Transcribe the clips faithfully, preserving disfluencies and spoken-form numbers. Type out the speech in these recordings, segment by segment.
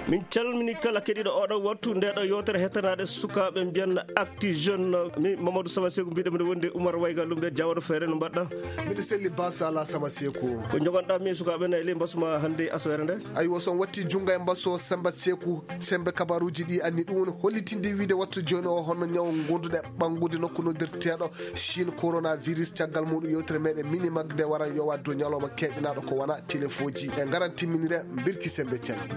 Min calmini kala keɗiiɗo oɗo wattu nde ɗo yewtere hettanaade sukaaɓe mbiyan Actu Jeune. Mi Mamadou Sama Seku mbiɗo mbiɗo wondi Oumar Wayga Lumbe Jawano Feere no mbaɗɗa? Miɗo selli Basa Ala Sama Seku. Ko jogonɗa mi sukaaɓe na e ley mbasuma hannde aswere nde? Aywa, so on watti junngo e mbaso Samba Seku, sembe kabaruuji ɗi anni ɗum woni hollitinde wiide wattu jooni o hono ñaw ngonduɗo e ɓanngude nokku noddirteeɗo Chine coronavirus. Caggal muɗum yewtere meɗen Mini Mag nde waran yowa dow ñalawma keɓinaaɗo ko wona telefoji. E ngaran timminire mbirki sembe canɗi.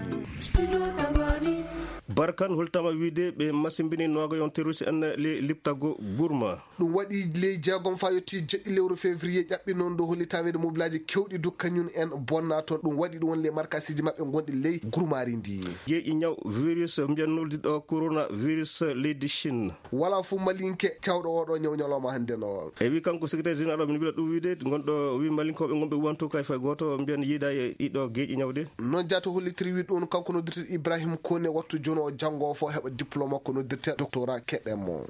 Barkan hultama wiide ɓe masimbini nogayon terroriste en li-, liptago gurma. Ɗum waɗi ley jeegom fa yotti jeɗɗi lewru février ƴaɓɓi noon dow hollitama wiide mobilaaji kewɗi du kañum en bonna toon. Ɗum waɗi ɗum won ley markasiji maɓɓe gonɗi ley gurmari ndi. Jeeƴi ñaw virus mbiyan noldiɗo coronavirus leydi Chine. Wala fof malinke cawɗo oɗo ñaw ñalawma hannde no. E wi kanko secrétaire général o min mbila ɗum wiide gonɗo wi malinkoɓe gonɓe wanto kay fay goto mbiyan yiida e ɗiɗo geeƴi ñawde. Noon jaato hollitiri wi ɗum kanko noddirte Ibrahim Kone wattu jono o janngo o fof heɓa diplôme makko noddirte doctorat keɗen mo.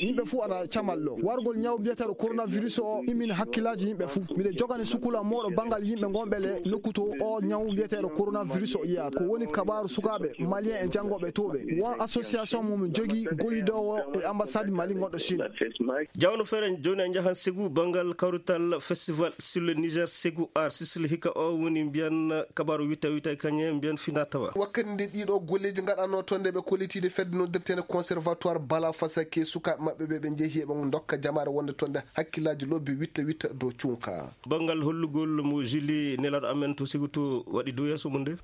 Yimɓe fuu ana camal ɗo wargol ñaw mbiyeteeɗo coronavirus o immini hakkillaaji yimɓe fuu. Miɗo jogani sukula mooɗo banngal yimɓe ngonɓe le nokku to o ñaw mbiyeteeɗo coronavirus o yiyaat. Ko woni kabaaru sukaaɓe malien e janngooɓe to ɓe won association mum jogii gollidoowo e ambassade Mali gonɗo Chine. Jawno feere jooni en njahan Segu banngal kawrital festival sur le Niger Segu Art Sicile hikka o woni mbiyan kabaaru witta witta e kañe mbiyan fina tawa. Wakkati nde ɗiɗo golleeji ngaɗanoo toon nde ɓe kollitiide fedde noddirteende conservatoire Bala Fasake sukaaɓe maɓɓe ɓe ɓe njehi eɓe ndokka jamaare wonde toon nde hakkillaaji lobbi witta witta dow cunka. Banngal hollugol mo Julie nelaaɗo amen to Segu to waɗi dow yeeso mum nde.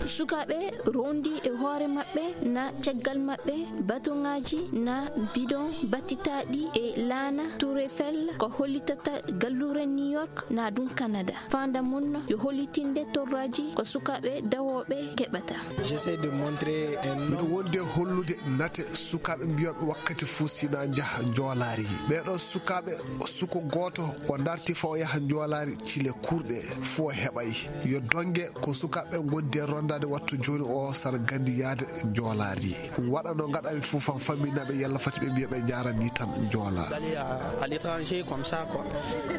Sukaaɓe rondi e hoore maɓɓe na caggal maɓɓe batoŋaaji na bidon battitaaɗi e laana Tour Eiffel ko hollitata galluure New York na ɗum Canada. Fanda mum yo hollitinde torraji ko sukaaɓe dawooɓe keɓata. J'essaie de montrer un miɗo wonde hollude nate sukaaɓe mbiyaɓe wakkati fuu sina njaha njoolaari. Ɓeeɗo sukaaɓe suko gooto o darti fa o yaha njoolaari cile kurɗe fuu o heɓay. Yo donge ko sukaaɓe ngondi e rondaade wattu jooni o sara gandi yaade njoolaari. Waɗa no ngaɗami fuu fan famminaɓe yalla fati ɓe mbiya ɓe njaarani tan njoola. D'aller à, à l'étranger comme ça, quoi.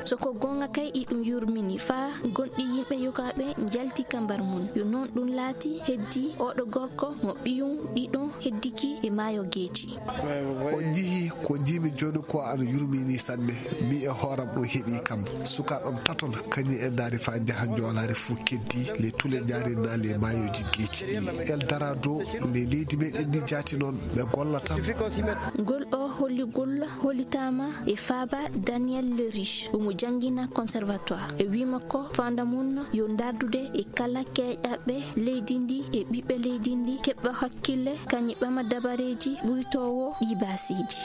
So ko goonga kay iɗum yurmini fa gonɗi yimɓe yogaaɓe njalti kambar mum. Yo noon ɗum laati heddi oɗo gorko mo ɓiyum ɗiɗum heddiki e maayo geeci. On njihii ko njiimi jooni ko ana yurmini sanne. Mi e hooram ɗum heɓi kam. Sukaaɓam taton kañum en ndaari fa njaha njoolaari fuu keddi le tule njaari na le maayooji geeci ɗi. El Dorado le leydi meɗen ndi jaati noon ɓe golla tan. Ngol o holligol hollitaama e faaba Daniel Le Riche, omo janngina conservatoire. E wii makko, fanda mum yo ndardude e kala keeƴaɓe leydi ndi e ɓiɓɓe leydi ndi, keɓa hakkille, kañum ɓama dabareeji ɓuytoowo ɗi baaseeji.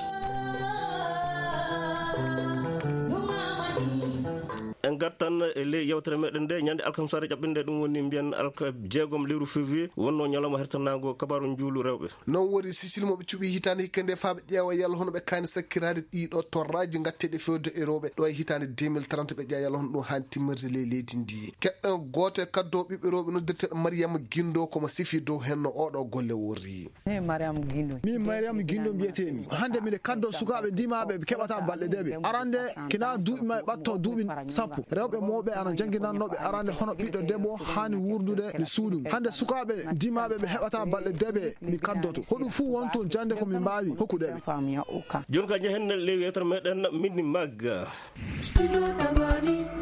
En ngartan e ley yewtere meɗen nde, ñande alkamsaare ƴaɓɓinde ɗum woni mbiyan alka jeegom lewru février, wonno ñalawma hertanaango kabaaru njuulu rewɓe. Noon woni Sicile mo ɓe cuɓi hitaande hikka nde faa ɓe ƴeewa yalla hono ɓe kaani sakkiraade ɗiɗo torraaji ngatteeɗi fewde e rewɓe ɗo e hitaande deux mille trente ɓe ƴeewa yalla hono ɗum haani timmirde ley leydi ndi. Keɗɗen gooto e kaddo ɓiɓɓe rewɓe noddirteeɗo Mariama Gindo ko mo sifi dow henno oɗo golle worri. Min Mariama Gindo mbiyetee-mi. Hannde miɗo kaddo sukaaɓe dimaaɓe ɓe keɓata balɗe deeɓe. Arande kina duuɓi ma ɓatto duuɓi sappo. Rewɓe mawɓe ana jannginannoo ɓe arande hono ɓiɗɗo debbo haani wuurdude no suudu. Hannde sukaaɓe dimaaɓe ɓe heɓata balɗe deeɓe mi kaddoto. Hoɗum fuu wonto jannde ko mi mbaawi hokkude ɓe. Jooni ka njehen ley yewtere meɗen Mini Mag.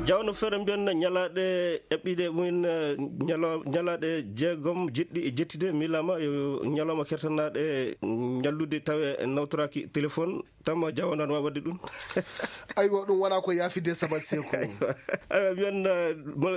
Jawno feere mbiyan ñalaaɗe eɓɓiɗe mumen, eh, ñalo-, ñalaaɗe jeegom jeɗɗi e jettide miilama yo ñalawma kertanaaɗe ñallude tawe nawtoraaki téléphone. Tamma Jawo nan waawa waɗde ɗum. Aywa, ɗum wona ko yaafide sabat seeko. Aywa, mi wiyatno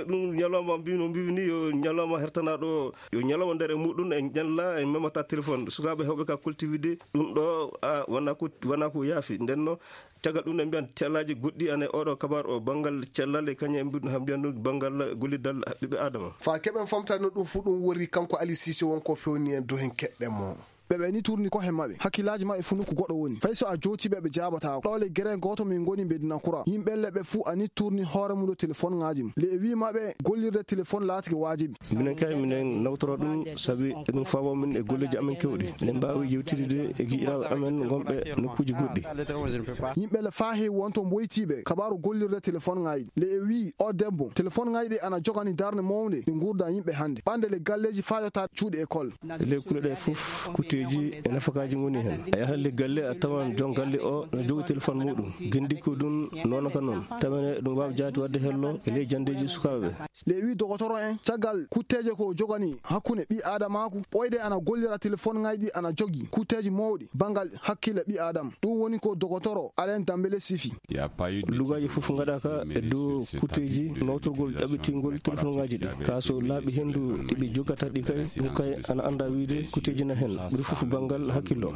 ɗum ñalawma mbi-, no mbiimi ni, yo ñalawma hertanaaɗo, yo ñalawma nder e muɗum, en ñalla, en memata téléphone. Sukaaɓe heewɓe ka kultivide ɗum ɗo, a, wona ko, wona ko yaafi. Nden no, caggal ɗum en mbiyan cellaaji goɗɗi ana e oɗo kabaar o, banngal cellal e kañum en mbiɗum ha mbiyan ɗum banngal gollidal ɓiɓɓe Adama. Fa keɓen famtaade no ɗum fuu ɗum wori, kanko Ali Cissé won ko fewni en, do hen keɗɗen mo. ɓe ɓe ni turni kohe maɓɓe, hakkillaaji maɓɓe fuu nokku goɗɗo woni. Fay so a jooti ɓe, ɓe jaabataako. Ɗo le gere gooto min ngoni Medina Kura. Yimɓe le ɓe fuu a ni turni hoore mum dow telefoŋaaji mum. Le e wii maɓɓe gollirde telefoŋ laatike waajibi. Minen kay, minen nawtora ɗum, sabi eɗum faabo min e golleeji amen kewɗi. Eɗen mbaawi yewtidde e giƴiraaɓe amen wonɓe nokkuuji goɗɗi. Yimɓe le faa heewi wonto mboytiiɓe kabaaru gollirde telefoŋaaji ɗi. Le e wii o debbo, telefoŋaaji ɗi ana jogani darnde mawnde e nguurndam yimɓe hannde. Ɓande le galleeji faa yottaade cuuɗi école. E ley kulle ɗe fof, kutteeji e nafakaaji ngoni heen. A yahan le galle, a tawan joom galle o no jogi telefoŋ muuɗum. Gendikko ɗum noon ka noon. Tawa ne ɗum waawi jaati waɗde hello e ley janndeeji sukaaɓe ɓe. Le e wii dogotoro en, caggal kutteeje ko jogani hakkunde ɓii aadamaaku, ɓooyde ana gollira telefoŋaaji ɗi ana jogi kutteeji mawɗi banngal hakkille ɓii aadama. Ɗum woni ko dogotoro Alain Dambele sifi. Lugaaji fof ngaɗaaka e dow kutteeji nawtorgol ƴaɓɓitingol telefoŋaaji ɗi. Kaa so laaɓi henndu ɗi ɓe jogata ɗi kay, ɗum kay ana annda wiide kutteeji na heen. Ɓuri fof banngal hakkillo.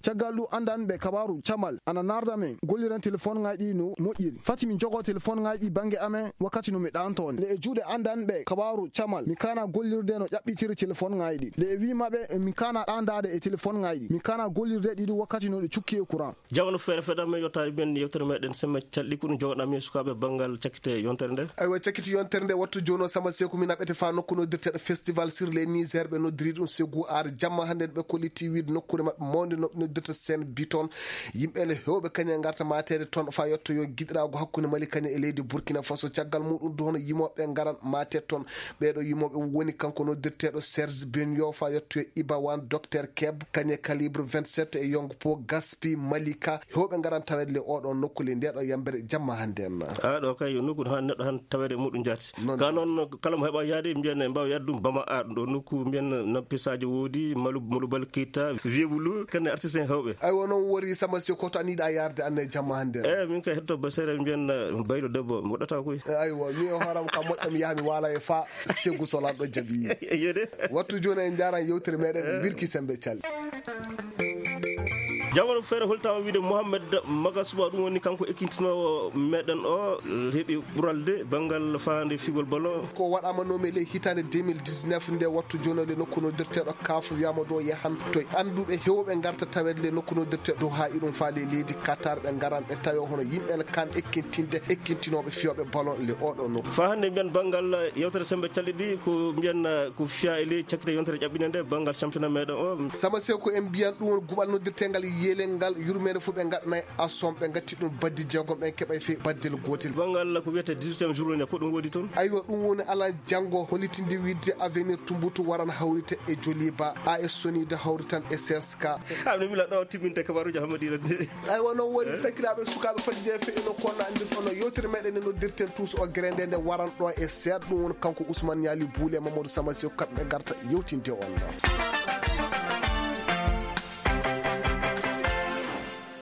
Caggal ɗum, anndanɓe kabaaru camal ana naarda men golliren telefoŋaaji ɗi no moƴƴiri. Fati min jogo telefoŋaaji ɗi bannge amen wakkati no mi ɗaanto on. Le e juuɗe anndanɓe kabaaru camal, mi kaana gollirde no ƴaɓɓitiri telefoŋaaji ɗi. Le e wii maɓɓe, min kaana ɗaandaade e telefoŋaaji ɗi. Min kaana gollirde ɗi ɗum wakkati no ɗi cukki e courant. Jamanu feere feɗa men yottaade men yewtere meɗen semme calɗi ko ɗum jogoɗaa men sukaaɓe banngal cakkite yontere nde. Aywa, cakkiti yontere nde wattu jooni o Sama Seeku min aɓete faa nokku noddirteeɗo Festival sur les Niger, ɓe noddiri ɗum Segu Ar. Jamma hannde ɓe kolliti wiide nokkuure maɓɓe mawnde no ɓe noddirta Sen Biton. Yimɓe ne heewɓe kañe ngarta maateede toon faa yottoyo giɗiraagu hakkunde Mali kañe e leydi Burkina Faso. Caggal muɗum du hono yimooɓe ngaran maateede toon. Ɓeeɗo yimooɓe woni kanko noddirteeɗo Serge Benyo faa yottoyo Ibawan, Docteur Keb, kañe Calibre vingt-sept e Yong Po Gaspi Malika. Heewɓe ngaran taweede le oɗo nokku le ndeɗo yambere jamma hannde en. A ɗo kay yo nokku han neɗɗo han taweede muɗum jaati. Noon ka jaati. Noon kala mo heɓa yaade mbiyen en mbaawa yaade ɗum Bama a ɗo nokku mbiyen na pisaaji woodi malu malu balkita vieux Boulou kene artiste en heewɓe. Aywa, noon wori Sama Seeku to an yiɗa yaarde an e jamma hannde en. Eh, min kay hetto basere mbiyen baylo debbo mi waɗata koy. Eh, aywa, mi o hooram ka moƴƴam yaha mi waala e fa Segu so lanɗo jaɓi. Yede. Wattu jooni en njaaran yewtere meɗen birki sembe calli. Jamanu feere holtaama wiide Mohamed Maga Suba, ɗum woni kanko ekkintinoowo meɗen o, heɓi ɓuralde banngal faande figol ballon. Ko waɗaama nomi ley hitaande deux mille dix-neuf nde wattu jooni le nokku noddirteeɗo kaf wiyama ɗo yahan to annduɓe heewɓe ngarta taweede le nokku noddirteeɗo haa iɗum faale leydi Qatar ɓe ngaran ɓe tawe hono yimɓe kan ekkintinde ekkintinooɓe fiyooɓe ballon le oɗo nokku. Faa hannde mbiyen banngal yewtere sembe calɗi ɗi ko mbiyen, eh, ko fiya e ley cakkite yontere ƴaɓɓinde nde banngal championnat meɗen o. Sama Seeku en mbiyan ɗum woni guɓal noddirteengal yelel ngal yurmeende fof ɓe ngaɗanay asom ɓe ngatti ɗum baddi jeegom ɓen keɓay fe baddel gootel. Banngal ko wiyetee dix-huitième journée ko ɗum woodi toon. Aywa, ɗum woni alan janngo hollitinde wiide Avenir Tumbutu waran hawrite e Joliba, A S Sonida hawritan e C S K. Ah, no mila ɗo timminte kabaruuji Hammadina de. Aywa, noon woni sakiraaɓe sukaaɓe fadde jeefe eno kono anndi ono yewtere meɗen no noddirten tous o grende nde waran ɗo e seeɗa ɗum woni kanko Ousmane Niali Boule Mamadou Sama Sew kamɓe ngarta yewtinde on.